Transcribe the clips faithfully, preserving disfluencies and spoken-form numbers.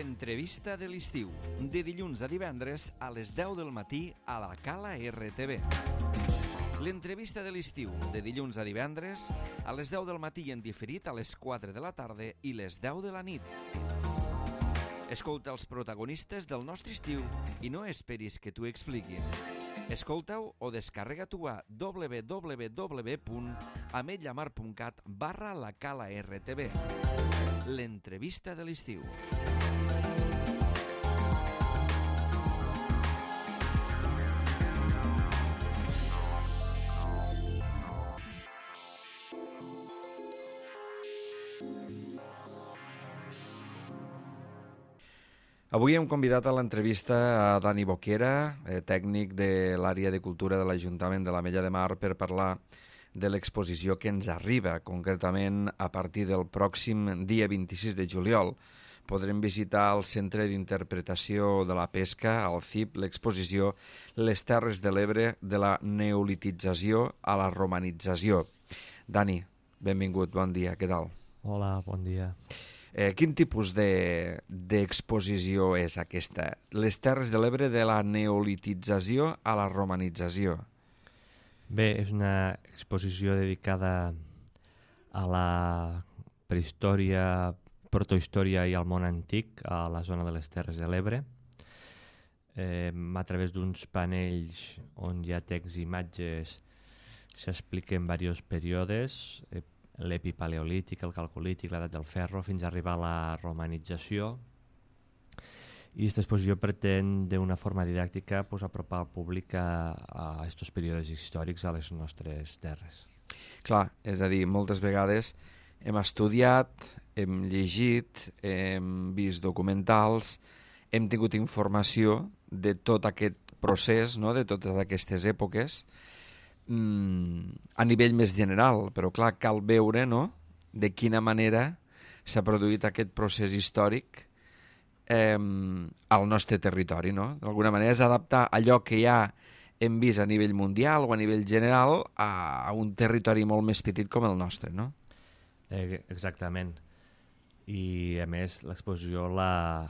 L'entrevista de l'estiu, de dilluns a divendres a les deu del matí a la Cala R T V. L'entrevista de l'estiu, de dilluns a divendres a les deu del matí i en diferit a les quatre de la tarda i les deu de la nit. Escolta els protagonistes del nostre estiu i no esperis que t'ho expliquin. Escolta-ho o descarrega-t'ho a w w w punt ametlla mar punt cat barra la Cala R T V. L'entrevista de l'estiu. Avui hem convidat a l'entrevista a Dani Boquera, eh, tècnic de l'àrea de cultura de l'Ajuntament de l'Ametlla de Mar, per parlar de l'exposició que ens arriba, concretament a partir del pròxim dia vint-i-sis de juliol. Podrem visitar el Centre d'Interpretació de la Pesca, al C I P, l'exposició Les Terres de l'Ebre de la neolitització a la romanització. Dani, benvingut, bon dia, què tal? Hola, bon dia. Eh, quin tipus de, d'exposició és aquesta? Les Terres de l'Ebre de la neolitització a la romanització. Bé, és una exposició dedicada a la prehistòria, protohistòria i al món antic a la zona de les Terres de l'Ebre, eh, a través d'uns panells on hi ha text i imatges s'expliquen diversos períodes, eh, l'epipaleolític, el calcolític, l'edat del ferro, fins a arribar a la romanització. I aquesta exposició pretén, d'una forma didàctica, pues, apropar al públic a aquests períodes històrics a les nostres terres. Clar, és a dir, moltes vegades hem estudiat, hem llegit, hem vist documentals, hem tingut informació de tot aquest procés, no?, de totes aquestes èpoques, a nivell més general, però clar, cal veure, no?, de quina manera s'ha produït aquest procés històric eh, al nostre territori, no? D'alguna manera és adaptar allò que ja hem vist a nivell mundial o a nivell general a, a un territori molt més petit com el nostre, no? Eh, exactament. I a més l'exposició la,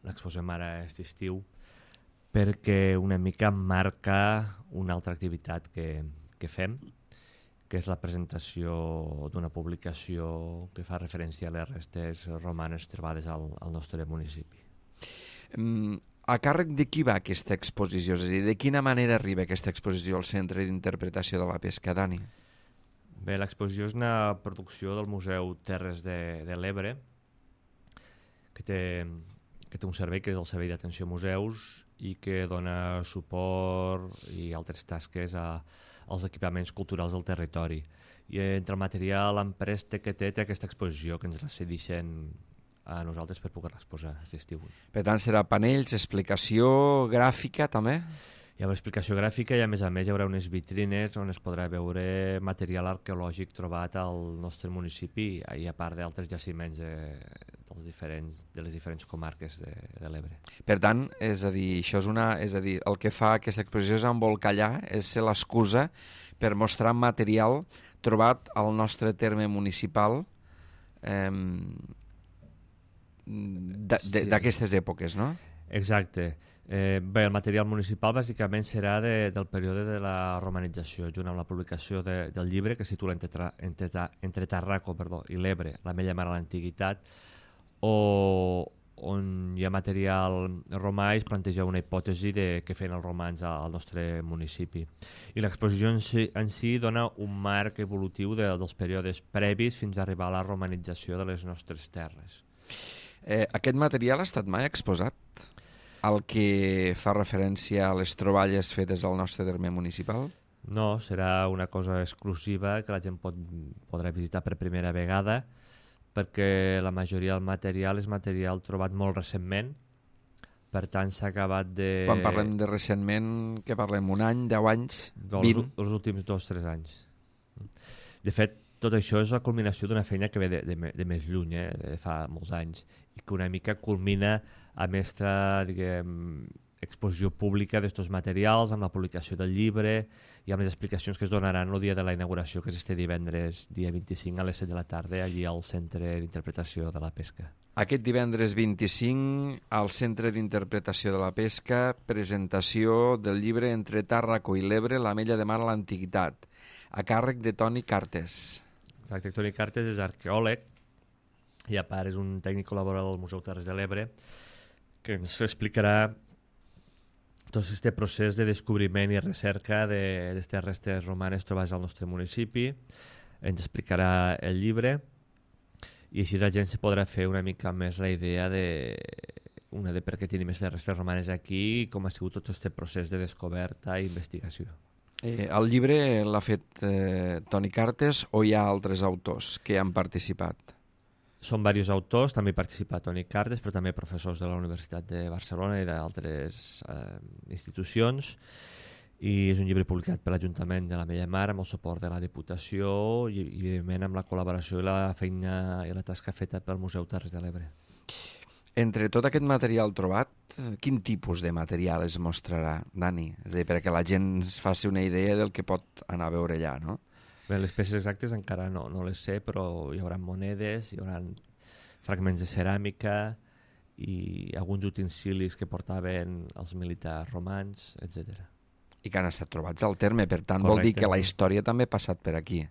l'exposem ara aquest estiu perquè una mica marca una altra activitat que, que fem, que és la presentació d'una publicació que fa referència a les restes romanes trobades al, al nostre municipi. Mm, a càrrec de qui va aquesta exposició? És a dir, de quina manera arriba aquesta exposició al Centre d'Interpretació de la Pesca, Dani? Bé, l'exposició és una producció del Museu Terres de, de l'Ebre, que té, que té un servei que és el Servei d'Atenció a Museus i que dona suport i altres tasques a, als equipaments culturals del territori. I entre el material empreste que té, té aquesta exposició que ens la cedeixen a nosaltres per poder exposar aquest estiu. Per tant, serà panells, explicació gràfica també? Hi haurà explicació gràfica i a més a més hi haurà unes vitrines on es podrà veure material arqueològic trobat al nostre municipi i a part d'altres jaciments de, dels diferents, de les diferents comarques de, de l'Ebre. Per tant, és a dir, això és una, és a dir, el que fa aquesta exposició és embolcallar, és ser l'excusa per mostrar material trobat al nostre terme municipal eh, d'aquestes sí. èpoques, no? Exacte. Eh, bé, el material municipal bàsicament serà de, del període de la romanització, junt amb la publicació de, del llibre que es titula Entre, tra, entre, entre Tarraco perdó, i l'Ebre, l'Ametlla Mar a l'Antiguitat, o, on hi ha material romà i es planteja una hipòtesi de què feien els romans al nostre municipi. I l'exposició en si, en si dona un marc evolutiu de, dels períodes previs fins a arribar a la romanització de les nostres terres. Eh, aquest material ha estat mai exposat? El que fa referència a les troballes fetes al nostre terme municipal? No, serà una cosa exclusiva que la gent pot, podrà visitar per primera vegada, perquè la majoria del material és material trobat molt recentment, per tant s'ha acabat de... Quan parlem de recentment, què parlem? Un any, deu anys, vint? Els, els últims dos o tres anys. De fet, tot això és la culminació d'una feina que ve de, de, de més lluny, eh, de fa molts anys, i que una mica culmina amb aquesta, diguem, exposició pública d'estos materials, amb la publicació del llibre i amb les explicacions que es donaran el dia de la inauguració, que és este divendres, dia vint-i-cinc a les set de la tarda, allí al Centre d'Interpretació de la Pesca. Aquest divendres vint-i-cinc, al Centre d'Interpretació de la Pesca, presentació del llibre Entre Tàrraco i l'Ebre, l'Ametlla de Mar a l'Antiguitat, a càrrec de Toni Cartes. Exacte, Toni Cartes és arqueòleg i a part és un tècnic col·laborador del Museu Terres de l'Ebre que ens explicarà tot aquest procés de descobriment i recerca d'aquestes de, restes romanes trobades al nostre municipi. Ens explicarà el llibre i així la gent se podrà fer una mica més la idea de, una de per què tenim aquestes restes romanes aquí i com ha sigut tot aquest procés de descoberta i investigació. Eh, el llibre l'ha fet eh, Toni Cartes o hi ha altres autors que han participat? Són diversos autors, també hi participa Toni Cartes, però també professors de la Universitat de Barcelona i d'altres eh, institucions. I és un llibre publicat per l'Ajuntament de l'Ametlla de Mar amb el suport de la Diputació i, i evidentment amb la col·laboració i la feina i la tasca feta pel Museu Terres de l'Ebre. Entre tot aquest material trobat, quin tipus de material es mostrarà, Dani? És a dir, perquè la gent es faci una idea del que pot anar a veure allà, no? Bé, les peces exactes encara no, no les sé, però hi haurà monedes, hi haurà fragments de ceràmica i alguns utensilis que portaven els militars romans, etcètera. I que han estat trobats al terme, per tant Correcte. Vol dir que la història també ha passat per aquí.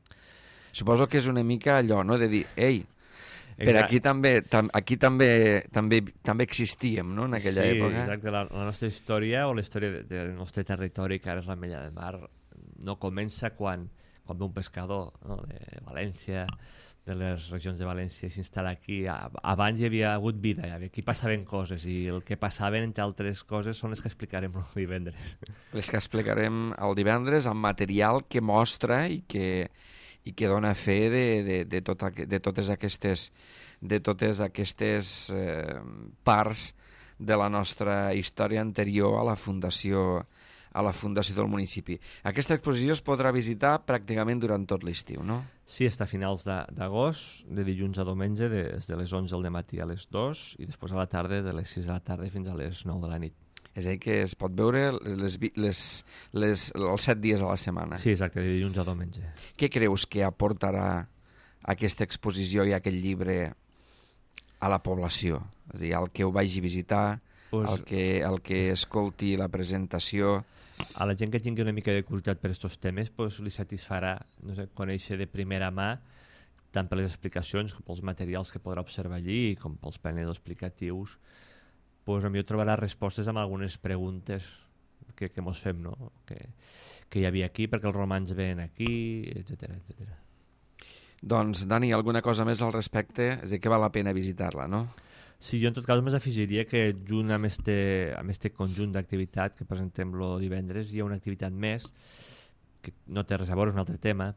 Suposo que és una mica allò, no?, de dir, ei, per aquí també tam, aquí també, també també existíem, no?, en aquella sí, època. Sí, exacte. La, la nostra història o la història de, del nostre territori, que ara és l'Ametlla de Mar, no comença quan, quan ve un pescador, no?, de València, de les regions de València, i s'instal·la aquí. Abans hi havia hagut vida, aquí passaven coses, i el que passaven, entre altres coses, són les que explicarem el divendres. Les que explicarem el divendres amb material que mostra i que i que dona fe de, de, de, tot, de totes aquestes, de totes aquestes eh, parts de la nostra història anterior a la fundació, a la fundació del municipi. Aquesta exposició es podrà visitar pràcticament durant tot l'estiu, no? Sí, està a finals d'agost, de, de dilluns a diumenge, des de les onze del matí a les dues i després a la tarda de les sis de la tarda fins a les nou de la nit. És a dir, que es pot veure les, les, les, els set dies a la setmana. Sí, exacte, de dilluns a diumenge. Què creus que aportarà aquesta exposició i aquest llibre a la població? És a dir, el que ho vagi a visitar, pues, el, que, el que escolti la presentació... A la gent que tingui una mica de curiositat per aquests temes, pues, li satisfarà, no sé, conèixer de primera mà tant per les explicacions com pels materials que podrà observar allí com pels panels explicatius. Pues, a mi trobarà respostes amb algunes preguntes que, que mos fem, no? que, que hi havia aquí, perquè els romans ven aquí, etcètera, etcètera. Doncs, Dani, alguna cosa més al respecte? És a dir, que val la pena visitar-la, no? Sí, jo en tot cas més afegiria que junt amb este, amb este conjunt d'activitat que presentem el divendres hi ha una activitat més que no té res a veure, és un altre tema,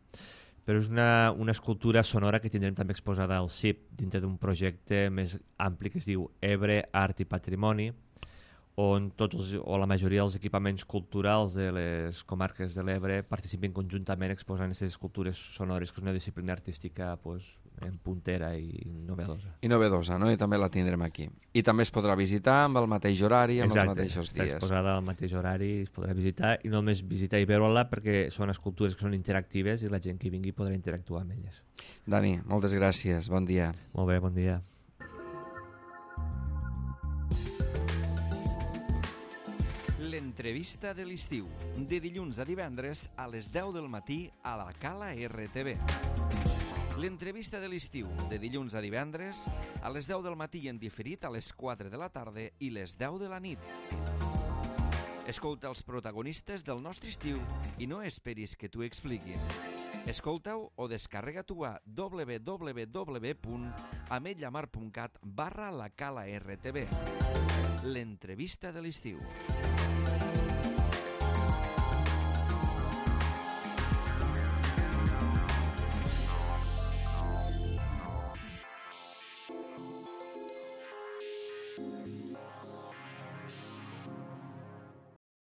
però és una, una escultura sonora que tindrem també exposada al C I P dintre d'un projecte més ampli que es diu Ebre, Art i Patrimoni, on tots els, o la majoria dels equipaments culturals de les comarques de l'Ebre participen conjuntament exposant aquestes escultures sonores, que és una disciplina artística pues, en puntera i novedosa. I novedosa, no? I també la tindrem aquí. I també es podrà visitar amb el mateix horari, amb Exacte, els mateixos dies. Exacte, està exposada al mateix horari, es podrà visitar, i no només visitar i veure-la perquè són escultures que són interactives i la gent que vingui podrà interactuar amb elles. Dani, moltes gràcies, bon dia. Molt bé, bon dia. L'entrevista de l'estiu, de dilluns a divendres a les deu del matí a la Cala R T V. L'entrevista de l'estiu, de dilluns a divendres a les deu del matí en diferit a les quatre de la tarda i les deu de la nit. Escolta els protagonistes del nostre estiu i no esperis que t'ho expliquin. Escolta-ho o descarrega-t'ho a w w w punt ametllamar punt cat barra la Cala R T V. L'entrevista de l'estiu.